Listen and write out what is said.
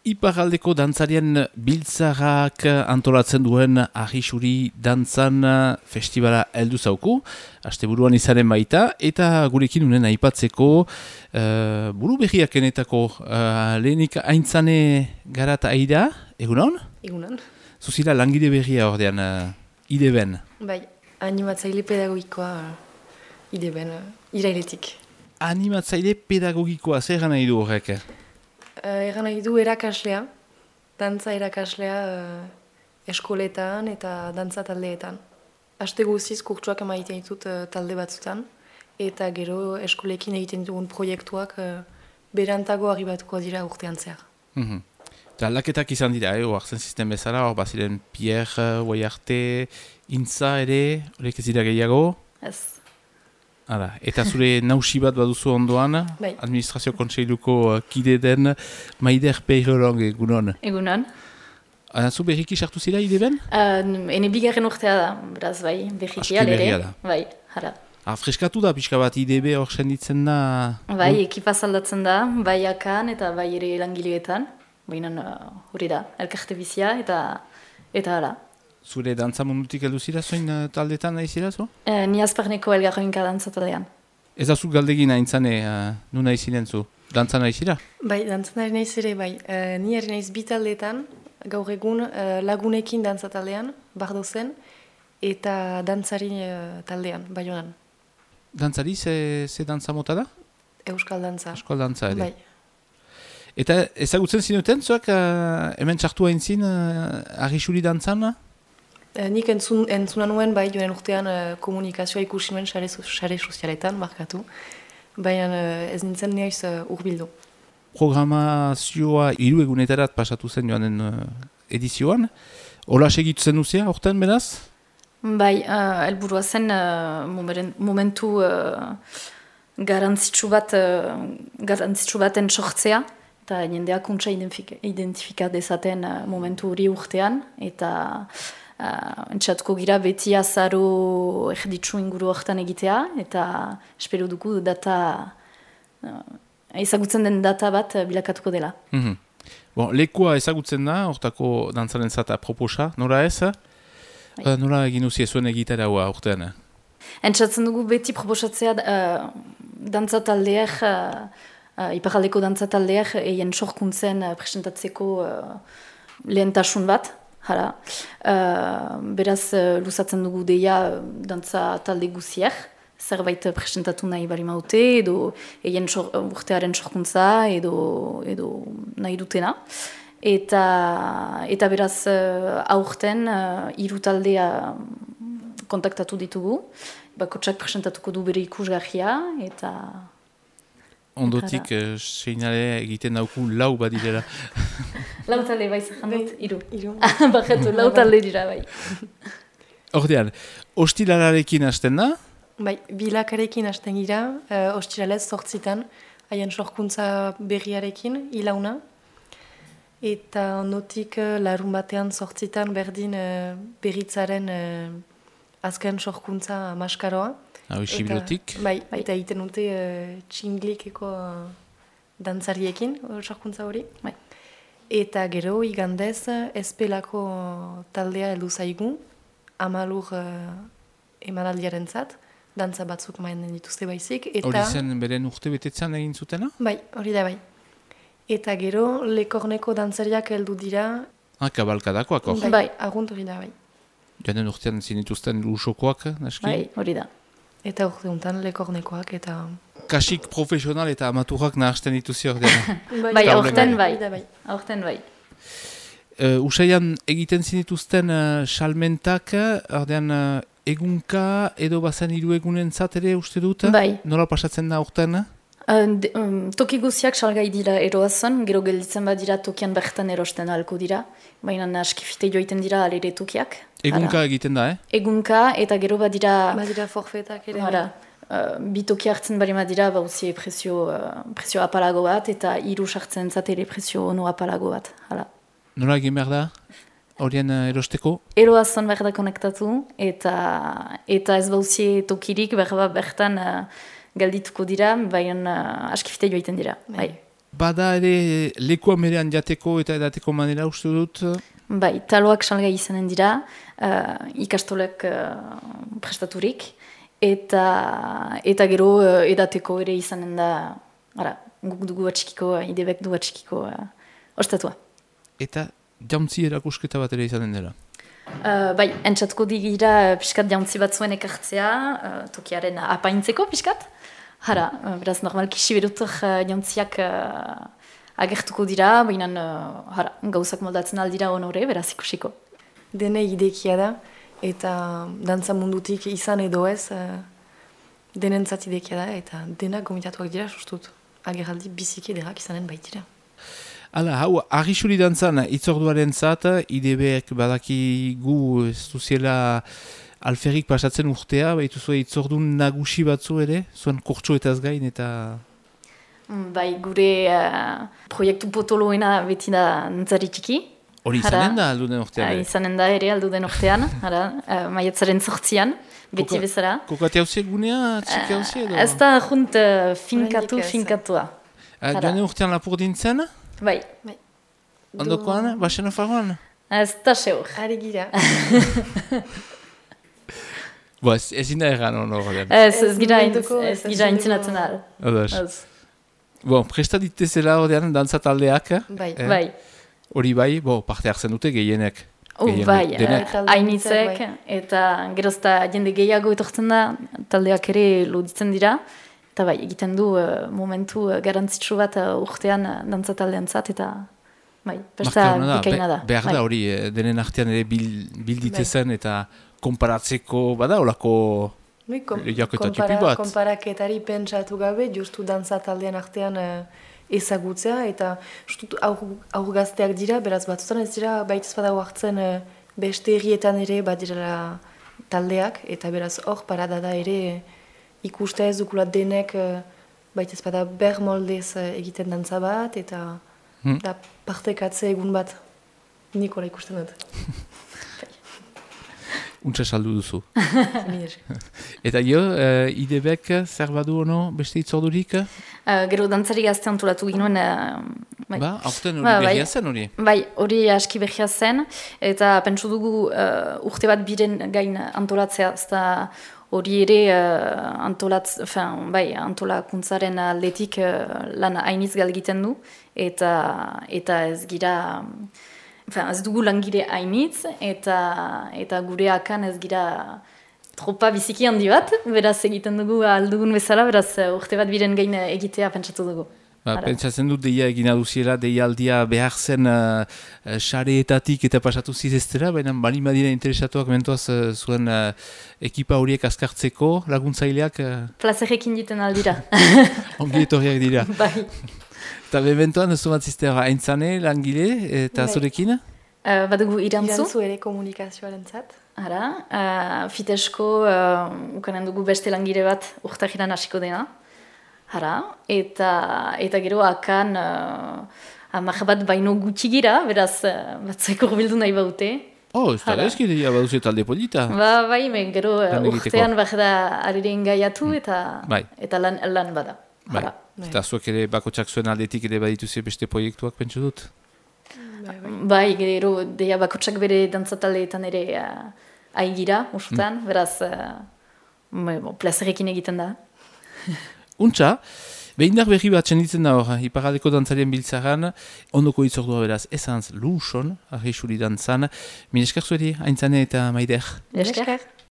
Iparraldeko dantzarien biltzarak antolatzen duen Arrisuri dantzan festivala heldu zauku, asteburuan izanen baita, eta gurekin unen aipatzeko buru berriak enetako lehenik aintzane garat aida, egunon? Egunon. Zuzira langide berria ordean ideben. Bai, animatzaile pedagogikoa ideben, irailetik. Animatzaile pedagogikoa, zer gana idu horrek? Egan nahi du erakaslea, dantza erakaslea eskoletan eta dantza taldeetan. Aste guziz kurtsuak emaiten ditut talde batzutan, eta gero eskolekin egiten dugun proiektuak berantago arribatuko dira urtean zehar. Eta aldaketak izan dira, oartzen zisten bezala, hor baziren Pierre, Oiarte, Intza ere, horrek ez dira gehiago? Ez. Hala, eta zure nausi bat baduzu ondoan, Bai. Administrazio Kontseiluko kide den Maider Peirolong egunon. Egunon. Zu berriki sartu zira ideben? Ene bigarren urtea da, beraz bai, berriki Aski berria da. Bai, jara. Freskatu da, pixka bat IDB hor senditzen da? Bai, ekipa zaldatzen da, bai akan eta bai ere langileetan. Baina hori da, elkarte bizia eta hala. Zure dantza mundutik heldu zira zoin taldetan nahi zira zo? Ni azparneko elgarroinka dantza taldean. Ez da zu galdegin aintzane, nu nahi ziren zu? Dantza nahi zira? Bai, dantzan ari naiz ere, bai. Ni ari naiz bi taldeetan, gaur egun lagunekin dantza taldean, bardozen, eta dantzari taldean, Baionan. Dantzari, ze dantza mota da? Euskal dantza. Euskal dantza ere. Bai. Eta ezagutzen zinuten, zuak hemen txartu hain zin Arrisuri dantzan? Nik entzuna nuen, bai, joan urtean komunikazioa ikusi nuen sare sozialetan, markatu. Baina ez nintzen nioiz urbildu. Programazioa 3 egunetarat pasatu zen joanen edizioan. Hola segitzen duzia, horten beraz? Bai, helburua zen momentu garantzitsu baten sortzea, eta jendeak untsa identifika dezaten momentu hori urtean, eta entxatuko gira beti azaro erditsu inguru horretan egitea, eta espero dugu ezagutzen den data bat bilakatuko dela. Lekua ezagutzen da, hortako dantzaren zata proposa, nora ez? Nora egin uzie zuen egitara hua urtean? Entzatzen dugu beti proposatzea dantza taldeak, iparraldeko dantza taldeak eien sorkuntzen presentatzeko lehentasun bat. Hala, beraz luzatzen dugu deia dantza talde guziak, zerbait presentatu nahi bali maute, edo eien urtearen sorkuntza, edo nahi dutena. Eta beraz aurten 3 taldea kontaktatu ditugu, bakotsak presentatuko du bere ikusgarria, eta... Ondotik seinale egiten dauku 4 badirela. 4 talde bai zerran dut, 3. Bakatu, 4 talde dira bai. Ordean, ostilalarekin hasten da? Bai, bilakarekin hasten gira, ostilalez 8 haien sorkuntza berriarekin, ilauna. Eta ondotik larun batean 8 berdin berritzaren azken sorkuntza maskaroa. Hau isibilotik? Bai, eta egiten dute txinglikeko dantzariekin sorkuntza hori. Bai. Eta gero igandez espelako taldea heldu zaigu, 10 emanaldiaren zat, dantza batzuk mainen dituzte baizik. Hori zen beren urte betetzen egin zutena? Bai, hori da bai. Eta gero lekorneko dantzariak heldu dira. Kabalkadakoak hor? Bai, argunt hori da bai. Joanen urtean zinituzten lusokoak, naski? Bai, hori da. Eta urte honetan lekornekoak eta... Kasik profesional eta amaturak nahazten dituzi ordean. Bai, aurten bai. Aurten bai. Usaian egiten zinituzten salmentak, ordean egunka edo bazen 3 egunen ere uste dut? Bai. Nola pasatzen da aurten? Toki guziak salgai dira eroazan, gero gelditzen badira tokian bertan erosten ahalko dira. Baina askifite joiten dira alere tokiak. Egunka egiten da, Egunka eta gero badira... Badira forfetak ere. Bi toki hartzen bari badira, bauzie prezio apalago bat, eta 3 sartzen zatele prezio ono apalago bat. Hala. Nola egin behar da? Horien erosteko? Eroazan behar da konektatu, eta ez bauzie tokirik bertan... Galdituko dira, baina askifite joiten dira. Bai. bada ere lekuan berean jateko eta edateko manera uste dut? Bai, taloak salgai izanen dira, ikastolek prestaturik, eta gero edateko ere izanen da, guk dugu atxikiko, idebek du atxikiko ostatua. Eta jauntzi erakusketa bat ere izanen dela? Bai, entzatko digira piskat jauntzi bat zuen ekartzea, tokiaren apaintzeko piskat. Beraz, normalki siberutuk jauntziak agertuko dira, baina gauzak moldatzen aldira honore, beraz ikusiko. Dene idekia da, eta dantza mundutik izan edo ez, denentzat idekia da, eta denak gomitatuak dira sustut. Ageraldi biziki ederrak izanen baitira. Hala, hau, argisuri dantzan, itzorduaren zat, IDB-ek badaki gu ez duziela alferrik pasatzen urtea, baitu zuen itzordun nagusi batzu ere, zuen kurtsoetaz gain eta... Bai, gure proiektu potoloena beti da nantzari txiki. Hori izanen da alduden urtean? Izanen da ere alduden urtean, maiatzaren 8an, beti bezala. Kokate hauziek gunea, txiki hauzie edo? Ez da junt finkatua. Joan urtean lapur dintzen? Bai. Ondokoan, basen ofagoan? Ez da seur. Ari gira. Ezin da erran hon horrean. Ez gira intzenatzen al. Presta ditezela horrean dantza taldeak? Bai. Hori bai, parte hartzen dute gehienek. Bai, hainitzek, eta gerozta jende gehiago etortzen da, taldeak ere loditzen dira. Eta bai, egiten du momentu garantzitsu bat urtean dantza taldean zat, eta bai, besta bikaina da. Behar da hori, denen artean ere bilditezen eta konparatzeko, bada holako lehiaketa tipi bat. Konparaketari pentsatu gabe, justu dantza taldean artean ezagutzea, eta aur gazteak dira, beraz batzutan ez dira, baitez badago hartzen beste herrietan ere badirela taldeak, eta beraz hor parada da ere ikuste ez dukulat denek baitez bada ber moldez egiten dantza bat, eta partekatze egun bat nikola ikusten dut. Untsa saldu duzu. Eta jo, IDB-ek zer badu ono beste itzordurik? Gero dantzari gazte antolatu ginoen. Aurten hori behia zen hori? Bai, hori aski behia zen, eta pentsu dugu urte bat biren gain antolatzea, ezta hori ere antolakuntzaren aldetik lan hainiz galgiten du, eta ez gira... ez dugu langire hainitz, eta gure akan ez gira tropa biziki handi bat, beraz egiten dugu aldugun bezala, beraz urte bat biren gain egitea pentsatu dugu. Pentsatzen dut deia egina duziela, deia aldia behar zen xareetatik eta pasatu zizestera, baina bali madira interesatuak mentoaz zuen ekipa horiek azkartzeko laguntzaileak... Plazerekin diten aldira. Ongi etorriak dira. Bai. Eta bebentoan, ez zumatzizte aintzane, langile, eta zurekin? Badugu irantzu. Irantzu ere komunikazioaren zat. Fitesko, ukanen dugu beste langile bat urtahiran hasiko dena. Eta gero akan amak bat baino gutxi gira, beraz batzaiko urbildu nahi baute. Ez da ezkidea baduzu talde polita. Bai, gero urtean da ariren gaiatu eta lan bada. Eta zuek ere bakotsak zuen aldetik ere badituze beste proiektuak pentsu dut? Bai, gero deia bakotsak bere dantzataleetan ere aigira, usutan, beraz plazerekin egiten da. Untxa, behindar berri bat txenditzen da hor, iparaldeko dantzarien biltzaran, ondoko itzordua beraz ezantz luson, arreixuri dantzan, min esker zueri, aintzane eta maider. Esker.